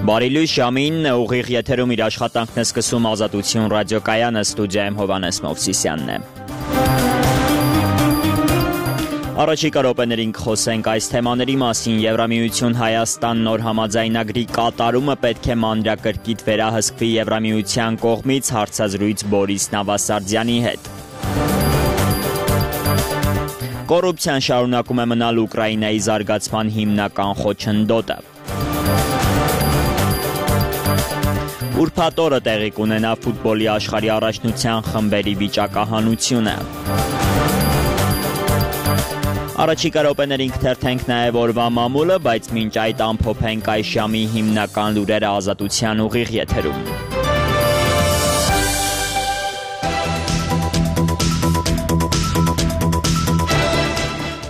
Բարի լույս ժամին ուղիղ եթերում իր աշխատանքն է սկսում Ազատություն ռադիոկայանը, ստուդիայում Հովհաննես Մովսիսյանն է։ Առաջիկա րոպեներին կխոսենք այս թեմաների մասին։ Եվրամիություն Հայաստան նոր համաձայնագրի կատարումը պետք է մանրակրկիտ վերահսկվի Եվրամիության կողմից, հարցազրույց Բորիս Նավասարդյանի հետ։ Կոռուպցիան շարունակում է մնալ Ուկրաինայի զարգացման հիմնական խոչընդոտը։ Ուրբաթ օրը տեղի կունենա ֆուտբոլի աշխարհի առաջնության խմբերի վիճակահանությունը։ Առաջիկա րոպեներին կթերթենք նաև օրվա մամուլը, բայց մինչ այդ ամփոփենք այս ժամի հիմնական լուրերը Ազատության ուղիղ եթերում։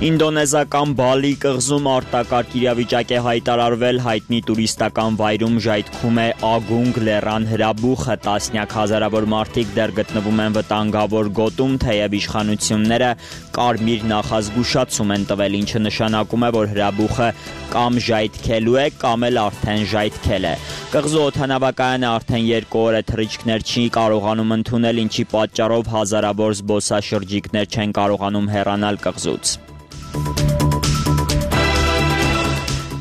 Ինդոնեզական Բալի կղզում արտակարգ իրավիճակ է հայտարարվել, հայտնի տուրիստական վայրում ժայթքում է Ագունգ լեռան հրաբուխը, տասնյակ հազարավոր մարդիկ դեռ գտնվում են վտանգավոր գոտում, թեև իշխանությունները կարմիր նախազգուշացում են տվել, ինչը նշանակում է, որ հրաբուխը կամ ժայթքելու է, կամ էլ արդեն ժայթքել է։ Կղզու օդանավակայանը արդեն 2 օր է թռիչքներ չի կարողանում ընդունել, ինչի պատճառով հազարավոր զբոսաշրջիկներ չեն կարողանում հեռանալ կղզուց։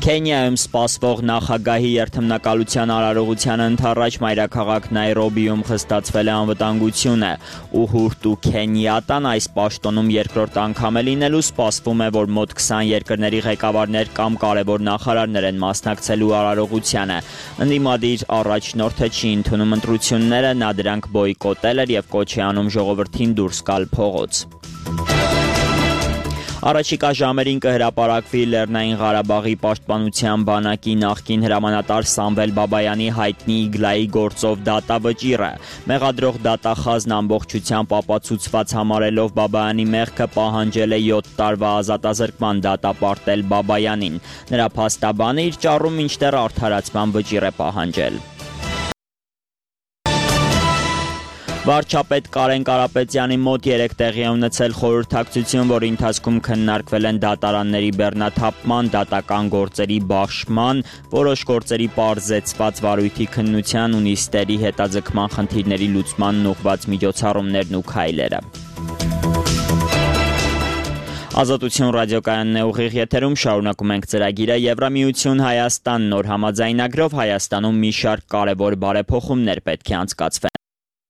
Քենիայում սպասվող նախագահի երթմնակալության արարողության ընդառաջ մայրաքաղաք Նայրոբիում խստացվել է անվտանգությունը։ Ուհուրտու Քենիատան այս պաշտոնում երկրորդ անգամ է լինելու, սպասվում է, որ մոտ 20 երկրների ղեկավարներ կամ կարևոր նախարարներ են մասնակցելու արարողությանը։ Ընդդիմադիր առաջնորդը չի ընդունում ընտրությունները, նա դրանք բոյկոտել էր եւ կոչ է անում ժողովրդին դուրս գալ փողոց։ Առաջիկա ժամերին կհրապարակվի Լեռնային Ղարաբաղի պաշտպանության բանակի նախկին հրամանատար Սամվել Բաբայանի հայտնի Իգլայի գործով դատավճիռը։ Մեղադրող դատախազն ամբողջությամբ ապացուցված համարելով Բաբայանի մեղքը պահանջել է 7 տարվա ազատազրկման դատապարտել Բաբայանին։ Նրա փաստաբանը իր ճառում մինչդեռ արդարացման վճիռ է պահանջել։ Վարչապետ Կարեն Կարապետյանի մոտ 3 տեղի է ունեցել խորհրդակցություն, որի ընթացքում քննարկվել են դատարանների բեռնաթափման, դատական գործերի բաշխման, որոշ գործերի պարզեցված վարույթի քննության ու նիստերի հետաձգման խնդիրների լուծմանն ուղղված միջոցառումներն ու քայլերը։ Ազատություն ռադիոկայանն է ուղիղ եթերում, շարունակում ենք ծրագիրը։ Եվրամիություն Հայաստան նոր համաձայնագրով Հայաստանում մի շարք կարևոր բարեփոխումներ պետք է անցկացվեն։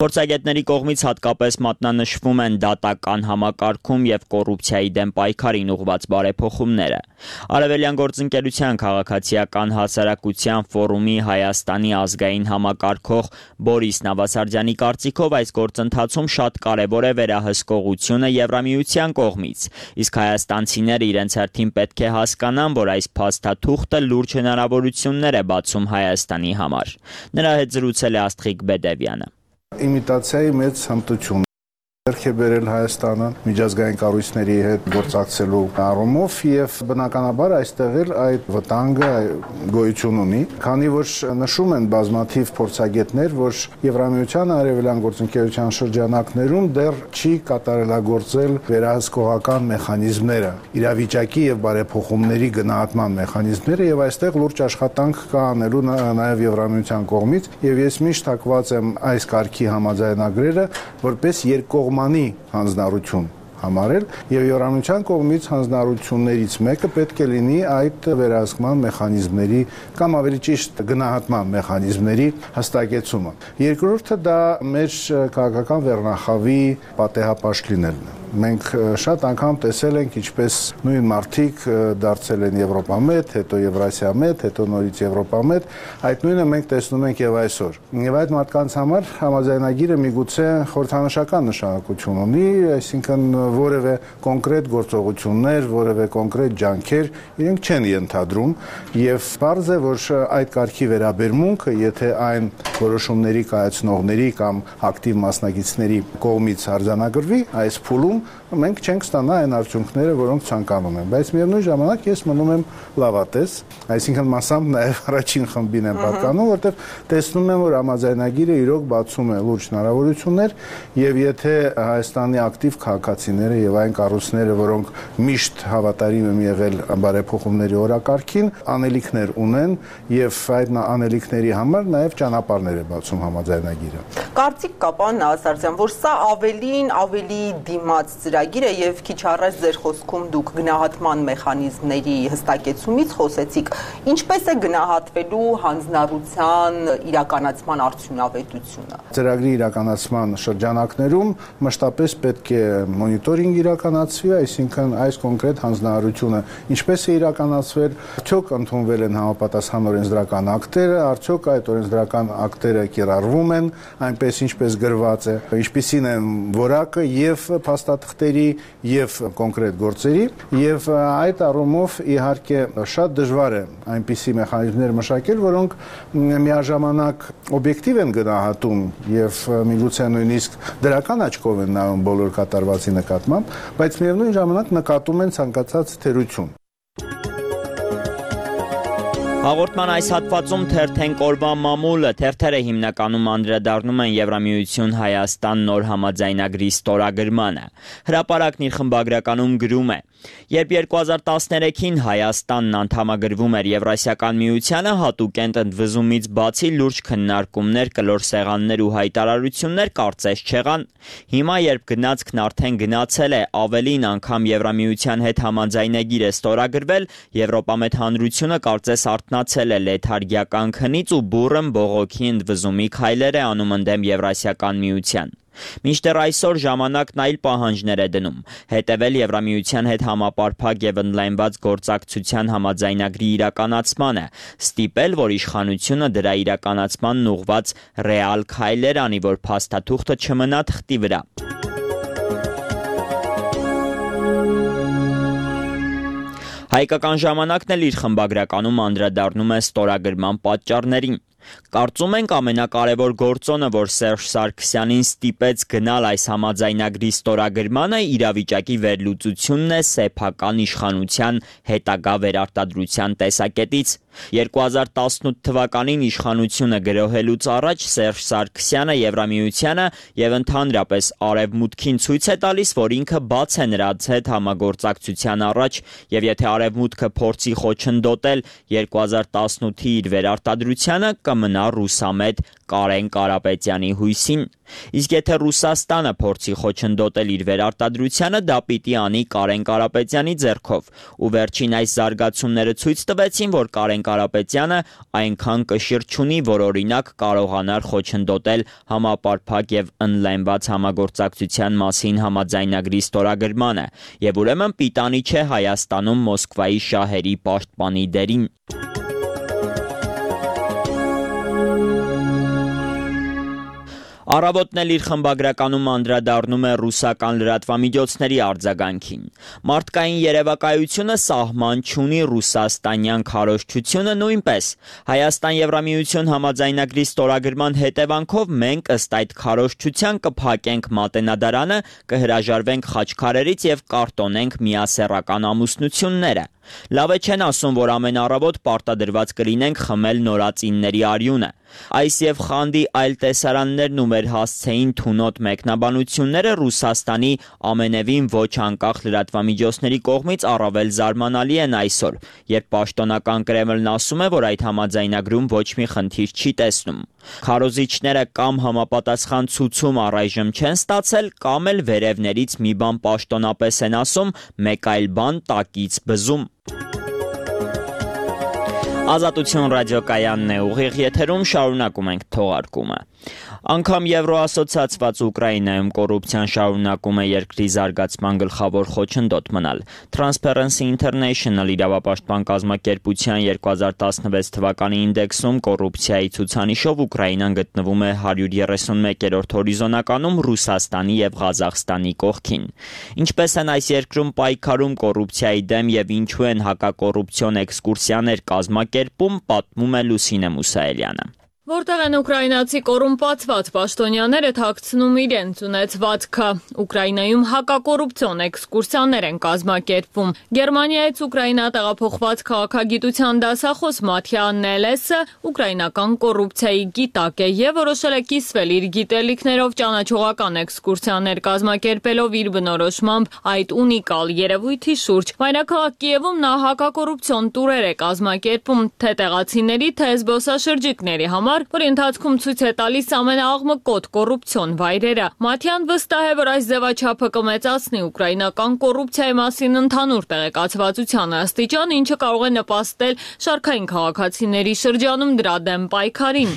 Փորձագետների կողմից հատկապես մատնանշվում են դատական համակարգում եւ կոռուպցիայի դեմ պայքարին ուղղված բարեփոխումները։ Արևելյան գործընկերության քաղաքացիական հասարակության ֆորումի Հայաստանի ազգային համակարգող Բորիս Նավասարդյանի կարծիքով այս գործընթացում շատ կարևոր է վերահսկողությունը Եվրամիության կողմից, իսկ հայաստանցիները իրենց հերթին պետք է հասկանան, որ այս փաստաթուղթը լուրջ հնարավորություններ է բացում Հայաստանի համար։ Նրա հետ զրուցել է Աստղիկ Բեդևյանը։ Իմիտացիայի մեծ հմտություն ձեռք է բերել Հայաստանը միջազգային կառույցների հետ գործակցելու առումով եւ բնականաբար այստեղ էլ այդ վտանգը գոյություն ունի, քանի որ նշում են բազմաթիվ փորձագետներ, որ Եվրամիության արևելյան գործընկերության շրջանակներում դեռ չի կատարելագործել վերահսկողական մեխանիզմները, իրավիճակի եւ բարեփոխումների գնահատման մեխանիզմները եւ այստեղ լուրջ աշխատանք կա անելու նաեւ Եվրամիության կողմից եւ ես միշտ հակված եմ այս կարգի համաձայնագրերը որպես երկկողմանի հանձնառություն համարել եւ Եվրամիության կողմից հանձնառություններից մեկը պետք է լինի այդ վերահսկման մեխանիզմների կամ ավելի ճիշտ գնահատման մեխանիզմների հստակեցումը։ Երկրորդը դա մեր քաղաքական վերնախավի պատեհապաշտ լինելն է։ Մենք շատ անգամ տեսել ենք ինչպես նույն մարդիկ դարձել են Եվրոպամետ, հետո Եվրասիամետ, հետո նորից Եվրոպամետ, այդ նույնը մենք տեսնում ենք եւ այսօր։ Եվ այդ մարդկանց համար համաձայնագիրը միգուցե խորհրդանշական նշանակություն ունի, այսինքն որևէ կոնկրետ գործողություններ, որևէ կոնկրետ ջանքեր իրենք չեն ենթադրում եւ պարզ է, որ այդ կարգի վերաբերմունքը, եթե այն որոշումների կայացնողների կամ ակտիվ մասնակիցների կողմից արձանագրվի, այս փուլում մենք չենք ստանա այն արդյունքները, որոնք ցանկանում են, բայց միևնույն ժամանակ ես մնում եմ լավատես, այսինքն մասամբ նաև առաջին խմբին եմ պատկանում, որտեղ տեսնում եմ, որ համաձայնագիրը իրոք բացում է լուրջ հնարավորություններ, եւ եթե Հայաստանի ակտիվ քաղաքացիները եւ այն կառույցները, որոնք միշտ հավատարիմ են եղել բարեփոխումների օրակարգին, անելիքներ ունեն եւ այդ անելիքների համար նաեւ ճանապարհներ է բացում համաձայնագիրը։ Կարծիք կա, պարոն Նավասարդյան, որ սա ավելի դիմաց ծրագիր է եւ քիչ առաջ ձեր խոսքում դուք գնահատման մեխանիզմների հստակեցումից խոսեցիք, ինչպես է գնահատվելու հանձնառության իրականացման արդյունավետությունը։ Ծրագրի իրականացման շրջանակներում մշտապես պետք է մոնիտորինգ իրականացվի, այսինքն այս կոնկրետ հանձնառությունը ինչպես է իրականացվել, արդյոք ընդունվել են համապատասխան օրենսդրական ակտերը, արդյոք այդ օրենսդրական ակտերը կիրառվում են այնպես ինչպես գրված է, ինչպիսին են որակը եւ փաստաթղթերի եւ կոնկրետ գործերի եւ այդ առումով իհարկե շատ դժվար է այնպիսի մեխանիզմներ մշակել, որոնք միաժամանակ օբյեկտիվ են գնահատում եւ միգուցե նույնիսկ դրական աչքով են նայում բոլոր կատարվածի նկատմամբ, բայց միևնույն ժամանակ նկատում են ցանկացած թերություն։ Հաղորդման այս հատվածում թերթենք օրվա մամուլը, թերթերը հիմնականում անդրադառնում են Եվրամիություն Հայաստան նոր համաձայնագրի ստորագրմանը։ Հրապարակն իր խմբագրականում գրում է. Երբ 2013-ին Հայաստանն անդամագրվում էր Եվրասիական միությանը, հատուկ ընդվզումից բացի լուրջ քննարկումներ, կլոր սեղաններ ու հայտարարություններ կարծես չեղան։ Հիմա, երբ գնացքն արդեն գնացել է, ավելին անգամ Եվրամիության հետ համաձայնագիր է ստորագրվել, Եվրոպամետ հանրությունը կարծես արթնացել է լեթարգիական քնից ու բուռն բողոքի ընդվզումի քայլեր է անում ընդդեմ Եվրասիական միության։ Մինչդեռ այսօր ժամանակն այլ պահանջներ է դնում, հետևել Եվրամիության հետ համապարփակ եւ ընդլայնված գործակցության համաձայնագրի իրականացմանը, ստիպել, որ իշխանությունը դրա իրականացմանն ուղղված ռեալ քայլեր անի, որ փաստաթուղթը չմնա թղթի վրա։ Հայկական ժամանակն էլ իր խմբագրականում անդրադառնում է ստորագրման պատճառներին։ Կարծում ենք ամենակարևոր գործոնը, որ Սերժ Սարգսյանին ստիպեց գնալ այս համաձայնագրի ստորագրմանը, իրավիճակի վերլուծությունն է սեփական իշխանության հետագա վերարտադրության տեսակետից։ 2018 թվականին իշխանությունը գրոհելուց առաջ Սերժ Սարգսյանը Եվրամիությանը եւ ընդհանրապես Արևմուտքին ցույց է տալիս, որ ինքը բաց է նրանց հետ համագործակցության առաջ եւ եթե Արևմուտքը փորձի խոչընդոտել 2018-ի իր վերարտադրությանը, կմնա ռուսամետ Կարեն Կարապետյանի հույսին։ Իսկ եթե Ռուսաստանը փորձի խոչընդոտել իր վերարտադրությանը, դա պիտի անի Կարեն Կարապետյանի ձեռքով։ Ու վերջին այս զարգացումները ցույց տվեցին, որ Կարեն Կարապետյանը այնքան կշիռ չունի, որ օրինակ կարողանար խոչընդոտել համապարփակ եւ ընդլայնված համագործակցության մասին համաձայնագրի ստորագրմանը, եւ ուրեմն պիտանի չէ Հայաստանում Մոսկվայի շահերի պաշտպանի դերին։ Առավոտն էլ իր խմբագրականում անդրադառնում է ռուսական լրատվամիջոցների արձագանքին։ Մարդկային երևակայությունը սահման չունի, ռուսաստանյան քարոզչությունը նույնպես։ Հայաստան Եվրամիություն համաձայնագրի ստորագրման հետևանքով մենք ըստ այդ քարոզչության կփակենք Մատենադարանը, կհրաժարվենք խաչքարերից եւ կարտոնենք միասեռական ամուսնությունները։ Լավ է չեն ասում, որ ամեն առավոտ պարտադրված կլինենք խմել նորածինների արյունը։ Այս եւ խանդի այլ տեսարաններն ու մեր հասցեին թունոտ մեկնաբանությունները Ռուսաստանի ամենևին ոչ անկախ լրատվամիջոցների կողմից առավել զարմանալի են այսօր, երբ պաշտոնական Կրեմլն ասում է, որ այդ համաձայնագրում ոչ մի խնդիր չի տեսնում։ Քարոզիչները կամ համապատասխան ցուցում առայժմ չեն ստացել, կամ էլ վերևներից մի բան պաշտոնապես են ասում, մեկ այլ բան տակից բզում։ Ազատություն ռադիոկայանն է, ուղիղ եթերում շարունակում ենք թողարկումը։ Անգամ Եվրոասոցիացված Ուկրաինայում կոռուպցիան շարունակում է երկրի զարգացման գլխավոր խոչընդոտ մնալ։ Transparency International իրավապաշտպան կազմակերպության 2016 թվականի ինդեքսում կոռուպցիայի ցուցանիշով Ուկրաինան գտնվում է 131-րդ հորիզոնականում Ռուսաստանի եւ Ղազախստանի կողքին։ Ինչպես են այս երկրում պայքարում կոռուպցիայի դեմ եւ ինչու են հակակոռուպցիոն էքսկուրսիաներ կազմակերպում, պատմում է Լուսինե Մուսայելյանը։ Որտեղ են ուկրաինացի կոռումպացված պաշտոնյաները թաքցնում իրենց ունեցվածքը։ Ուկրաինայում հակակոռուպցիոն էքսկուրսիաներ են կազմակերպվում։ Գերմանիայից Ուկրաինա տեղափոխված քաղաքագիտության դասախոս Մաթիա Նելեսը ուկրաինական կոռուպցիայի գիտակ է եւ որոշել է կիսվել իր գիտելիքներով ճանաչողական էքսկուրսիաներ կազմակերպելով իր բնորոշմամբ այդ ունիկալ երևույթի շուրջ։ Մայրաքաղաք Կիևում նա հակակոռուպցիոն տուրեր է կազմակերպում թե տեղացիների, թե զբոսաշրջիկների համար, որի ընթացքում ցույց է տալիս ամենաաղմկոտ կոռուպցիոն վայրերը։ Մաթյան վստահ է, որ այս ձևաչափը կմեծացնի ուկրաինական կոռուպցիայի մասին ընդհանուր տեղեկացվածության աստիճան, ինչը կարող է նպաստել շարքային քաղաքացիների շրջանում դրա դեմ պայքարին։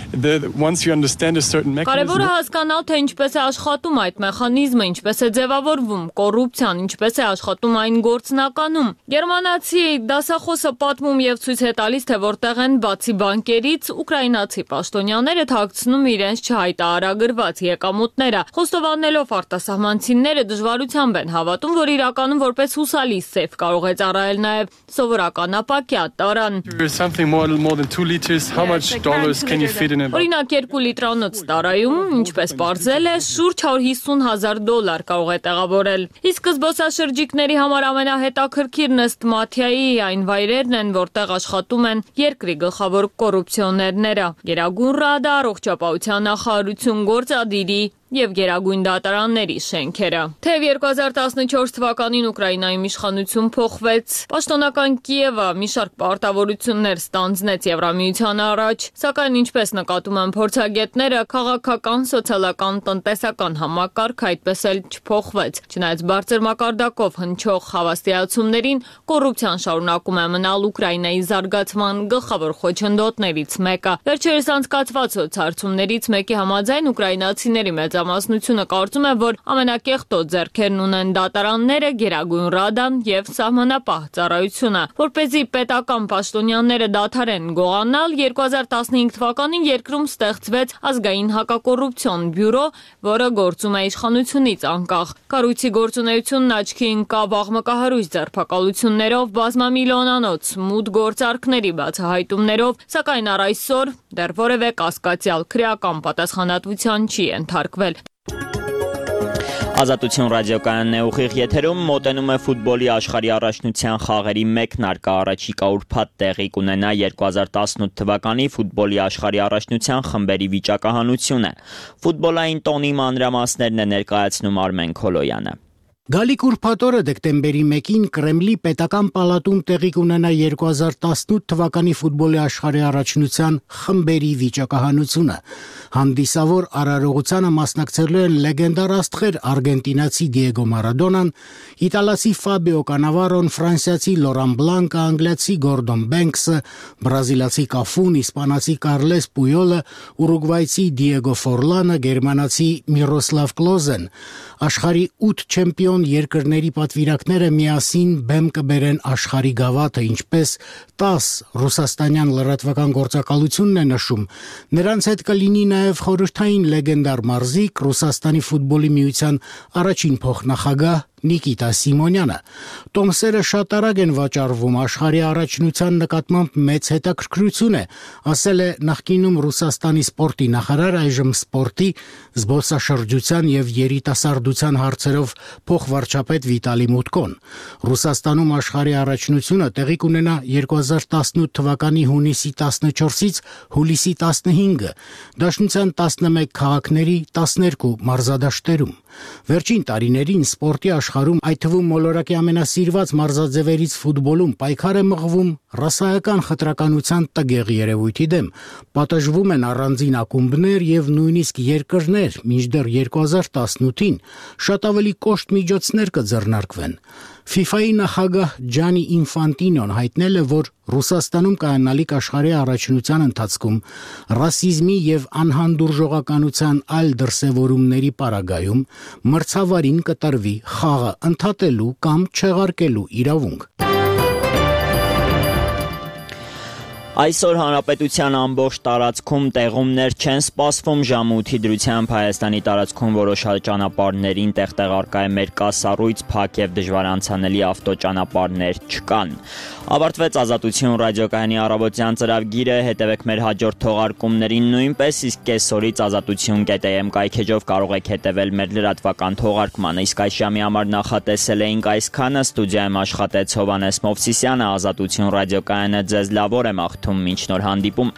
Կարևորը հասկանալ, թե ինչպես է աշխատում այդ մեխանիզմը, ինչպես է ձևավորվում կոռուպցիան, ինչպես է աշխատում այն գործնականում։ Գերմանացի դասախոսը պատմում եւ ցույց է տալիս, թե որտեղ են բացի բանկերից ուկրաինացի պաշտոնյաները թաքցնում իրենց չհայտարարագրված եկամուտները։ Խոստովանելով արտասահմանցիները դժվարությամբ են հավատում, որ իրականում որպես հուսալի սեֆ կարող է ծառայել նաև սովորական ապակյա տարան։ Օրինակ 2 լիտրանոց տարայում, ինչպես պարզել է, շուրջ $150,000 կարող է տեղավորել։ Իսկ զբոսաշրջիկների համար ամենահետաքրքիրն ըստ Մաթիայի այն վայրերն են, որտեղ աշխատում են երկրի գլխավոր կոռուպցիոներները։ Գերագույն ռադա, առողջապահության նախարարություն, գործադիրի եւ Գերագույն դատարանների շենքերը։ Թեև 2014 թվականին Ուկրաինայում իշխանություն փոխվեց, պաշտոնական Կիևը մի շարք պարտավորություններ ստանձնեց Եվրամիության առաջ, սակայն ինչպես նկատում են փորձագետները, քաղաքական, սոցիալական, տնտեսական համակարգը այդպես էլ չփոխվեց։ Չնայած բարձր մակարդակով հնչող հավաստիացումներին, կոռուպցիան շարունակում է մնալ Ուկրաինայի զարգացման գլխավոր խոչընդոտներից մեկը։ Վերջերս անցկացված սոցհարցումներից մեկի համաձայն ուկրաինացիների մեծամասնությունը կարծում է, որ ամենակեղտոտ ձեռքերն ունեն դատարանները, Գերագույն ռադան եւ սահմանապահ ծառայությունը։ Որպեսզի պետական պաշտոնյաները դադարեն գողանալ, 2015 թվականին երկրում ստեղծվեց ազգային հակակոռուպցիոն բյուրո, որը գործում է իշխանությունից անկախ։ Կառույցի գործունեությունն աչքի ընկավ աղմկահարույց ձերբակալություններով, բազմամիլիոնանոց մութ գործարքների բացահայտումներով, սակայն առ այսօր դեռ որևէ կասկածյալ քրեական պատասխանատվության չի ենթարկվել։ Ազատություն ռադիոկայանն է ուղիղ եթերում, մոտենում է ֆուտբոլի աշխարհի առաջնության խաղերի մեկնարկը, առաջիկա ուրբաթ տեղի կունենա 2018 թվականի ֆուտբոլի աշխարհի առաջնության խմբերի վիճակահանությունը։ Ֆուտբոլային տոնի մանրամասներն է ներկայացնում Արմեն Քոլոյանը։ Գալիք ուրբաթ օրը դեկտեմբերի 1-ին Կրեմլի պետական պալատում տեղի կունենա 2018 թվականի ֆուտբոլի աշխարհի առաջնության խմբերի վիճակահանությունը։ Հանդիսավոր արարողությանը մասնակցելու են լեգենդար աստղեր արգենտինացի Դիեգո Մարադոնան, իտալացի Ֆաբիո Կանավարոն, ֆրանսիացի Լորան Բլանկը, անգլիացի Գորդոն Բենքսը, բրազիլացի Կաֆուն, իսպանացի Կարլես Պույոլը, ուրուգվայցի Դիեգո Ֆորլանը, գերմանացի Միրոսլավ Կլոզեն։ Աշխարհի 8 չեմպիոն երկրների պատվիրակները միասին բեմ կբերեն աշխարհի գավաթը, ինչպես 10 ռուսաստանյան լրատվական գործակալությունն է նշում։ Նրանց հետ կլինի նաև խորհրդային լեգենդար մարզիկ Ռուսաստանի ֆուտբոլի միության առաջին փոխնախագահ Նիկիտա Սիմոնյանը։ Տոմսերը շատ արագ են վաճառվում, աշխարհի առաջնության նկատմամբ մեծ հետաքրքրություն է, ասել է նախկինում Ռուսաստանի սպորտի նախարար, այժմ սպորտի, զբոսաշրջության եւ երիտասարդության հարցերով փոխվարչապետ Վիտալի Մուտկոն։ Ռուսաստանում աշխարհի առաջնությունը տեղի կունենա 2018 թվականի հունիսի 14-ից հուլիսի 15-ը, Դաշնության 11 քաղաքների 12 մարզադաշտերում։ Վերջին տարիներին սպորտի աշխարհում, այդ թվում մոլորակի ամենասիրված մարզաձևերից ֆուտբոլում, պայքար է մղվում ռասայական խտրականության տգեղ երևույթի դեմ։ Պատժվում են առանձին ակումբներ եւ նույնիսկ երկրներ, մինչդեռ 2018-ին շատ ավելի կոշտ միջոցներ կձեռնարկվեն։ FIFA-ի նախագահ Ջանի Ինֆանտինոն հայտնել է, որ Ռուսաստանում կայանալիք աշխարհի առաջնության ընթացքում ռասիզմի եւ անհանդուրժողականության այլ դրսևորումների պարագայում մրցավարին կտրվի խաղը ընդհատելու կամ չեղարկելու իրավունք։ Այսօր հանրապետության ամբողջ տարածքում տեղումներ չեն սպասվում, ժամը 8-ի դրությամբ Հայաստանի տարածքում որոշ ճանապարհներին տեղարկա է մերկասառույց, փակ եւ դժվար անցանելի ավտոճանապարհներ չկան։ Ավարտվեց Ազատություն ռադիոկայանի առավոտյան ծրագիրը, հետևեք մեր հաջորդ թողարկումներին նույնպես, իսկ կեսօրից azatutun.am կայքեջով կարող եք հետևել մեր լրատվական թողարկմանը։ Իսկ այս ժամի համար նախատեսել էինք այսքանը, ստուդիայում աշխատեց Հովհաննես Մովսիսյանը, Ազատություն ռադիոկայանը ձեզ լավ օր եմ աղթում, մինչ նոր հանդիպում։